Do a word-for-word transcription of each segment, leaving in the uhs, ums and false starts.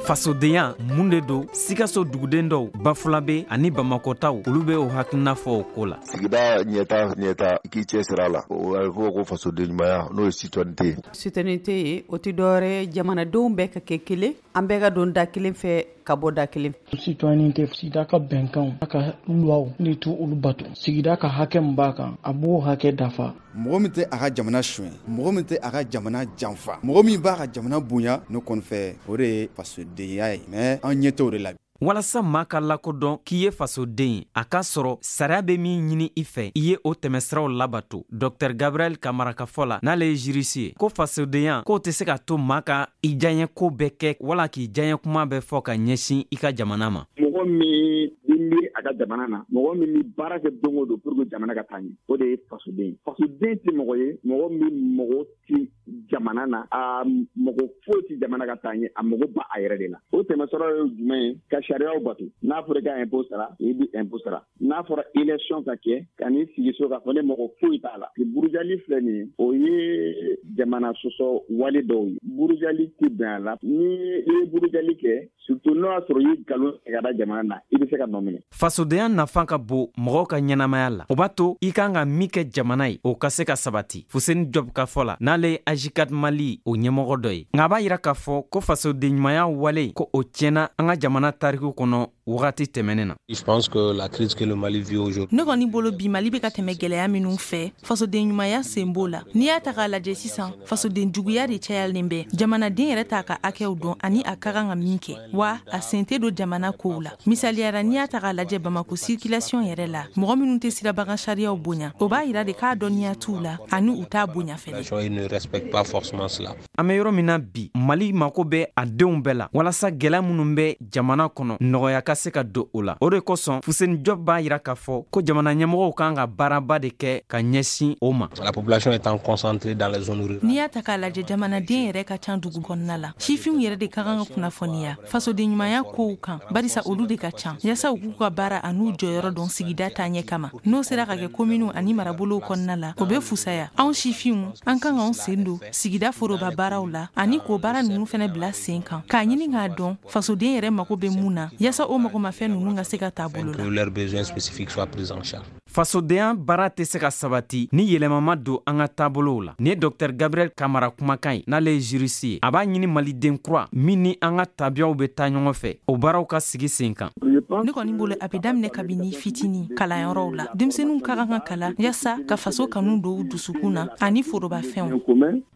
Fasodenya mun de don? Sikaso duguden dɔw, Bafulabe ani Bamakɔtaw, olu bɛ o hakilina fɔ o ko la. Sigida ɲɛta ɲɛta, i k'i cɛ sira a la, o a bɛ fɔ ko fasoden ɲumanya, n'o ye citoyenneté ye. Citoyenneté ye, o tɛ dɔwɛrɛ ye, jamanadenw bɛɛ ka kɛ kelen, an bɛɛ ka don da kelen fɛ, ka bɔ da kelen. Citoyenneté, sigida ka bɛnkanw a ka luwaw ni tu olu bato, sigida ka hakɛ min b'a kan, a b'o hakɛ dafa. Mɔgɔ min tɛ a ka jamana suɲɛ, mɔgɔ min tɛ a ka jamana janfa, mɔgɔ min b'a ka jamana bonya, ne kɔni fɛ, o de ye fasodenya ye, mais an ɲɛ t'o de la. Walasa maa ka lakodɔn k'i ye fasoden ye, a k'a sɔrɔ sariya bɛ min ɲini i fɛ, i ye o tɛmɛsiraw labato. Dɔktɛr Gabriel Kamara ka fɔ la, n'ale ye juriste ye, ko fasodenya k'o tɛ se ka to maa ka i diyaɲɛ ko bɛɛ kɛ wala k'i diyaɲɛ kuma bɛɛ fɔ ka ɲɛsin i ka jamana ma. Mɔgɔ min bɛ miiri a ka jamana na, mɔgɔ min bɛ baara kɛ don o don pour que jamana ka taa ɲɛ, o de ye fasoden ye. Fasoden tɛ mɔgɔ ye, mɔgɔ min mɔgɔ ti jamana na, a mɔgɔ foyi ti jamana ka taa ɲɛ, a mago ba a yɛrɛ de la. O tɛmɛsɔrɔ ye jumɛn ye? Ka sariyaw bato. N'a fɔra i ka impôt sara, i bɛ impôt sara. N'a fɔra élection ka kɛ, ka n'i sigi so k'a fɔ ne mɔgɔ foyi t'a la. Burujali filɛ nin ye, o ye jamana sɔsɔ wale dɔw ye. Burujali tɛ bɛn a la. Ni i ye burujali kɛ, surtout n'o y'a sɔrɔ i ye nkalon tigɛ ka da jamana na, i bɛ se ka nɔ minɛ. Fasodenya nafa ka bon mɔgɔw ka ɲɛnamaya la. O b'a to i kan ka min kɛ jamana ye, o ka se ka sabati. Fuseni Jɔb ka fɔ la, n'ale ye AJCAD Mali o ɲɛmɔgɔ dɔ ye, nka a b'a yira k'a fɔ ko fasoden ɲumanya wale, ko o tiɲɛna an ka jamana tariku kɔnɔ wagati tɛmɛnen na. Je pense que la crise que le Mali vit aujourd'hui. Ne kɔni bolo, bi Mali bɛ ka tɛmɛ gɛlɛya minnu fɛ, fasoden ɲumanya sen b'o la. N'i y'a ta k'a lajɛ sisan, fasoden juguya de cayalen bɛ. Jamanaden yɛrɛ t'a ka hakɛw dɔn ani a ka kan ka min kɛ, wa a sen tɛ don jamana kow la. Misaliyara, n'i y'a ta k'a lajɛ Bamako circulation yɛrɛ la, mɔgɔ minnu tɛ sirabakan sariyaw bonya, o b'a yira de k'a dɔnniya t'u la ani u t'a bonya fɛnɛ. Ils ne respectent pas forcément cela. An bɛ yɔrɔ min na bi, Mali mako bɛ a denw bɛɛ la walasa gɛlɛya minnu bɛ jamana kɔnɔ, nɔgɔya ka se ka don o la. O de kosɔn, Fuseni Jɔb b'a yira k'a fɔ ko jamana ɲɛmɔgɔw kan ka baaraba de kɛ ka ɲɛsin o ma. La population étant concentrée dans les zones rurales. N'i y'a ta k'a lajɛ, jamanaden yɛrɛ ka ca dugu kɔnɔna la. Sifinw yɛrɛ de ka kan ka kunnafoniya fasoden ɲumanya kow kan, barisa olu de ka ca, yaasa u k'u ka baara an'u jɔyɔrɔ dɔn sigida taaɲɛ kama. N'o sera ka kɛ kominiw ani marabolow kɔnɔna la, o bɛ fusaya. Anw sifinw, an kan k'anw sen don sigida foroba baaraw la ani k'o baara ninnu fɛnɛ bila sen kan, k'a ɲini k'a dɔn fasoden yɛrɛ mako bɛ mun na, yaasa o magomafɛn ninnu ka se ka taa bolo la. Que leurs besoins spécifiques soient pris en charge. Fasodenya baara tɛ se ka sabati ni yɛlɛma ma don an ka taabolow la. Nin ye Dɔktɛr Gabriel Kamara kumakan ye, n'ale ye juriste ye. A b'a ɲini maliden kura min ni an ka tabiyaw bɛ taa ɲɔgɔn fɛ, o baaraw ka sigi sen kan. Ne kɔni bolo, a bɛ daminɛ kabini fitinin kalanyɔrɔw la. Denmisɛnninw ka kan ka kalan yaasa ka faso kanu don u dusukun na ani forobafɛnw.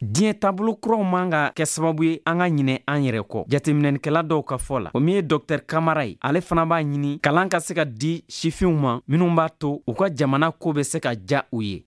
Diɲɛ taabolo kuraw man ka kɛ sababu ye an ka ɲinɛ an yɛrɛ kɔ. Jateminɛnikɛla dɔw ka fɔ la, o min ye Dɔktɛr Kamara ye, ale fana b'a ɲini kalan ka se ka di sifinw ma minnu b'a to u ka jamana ko bɛ se ka ja u ye.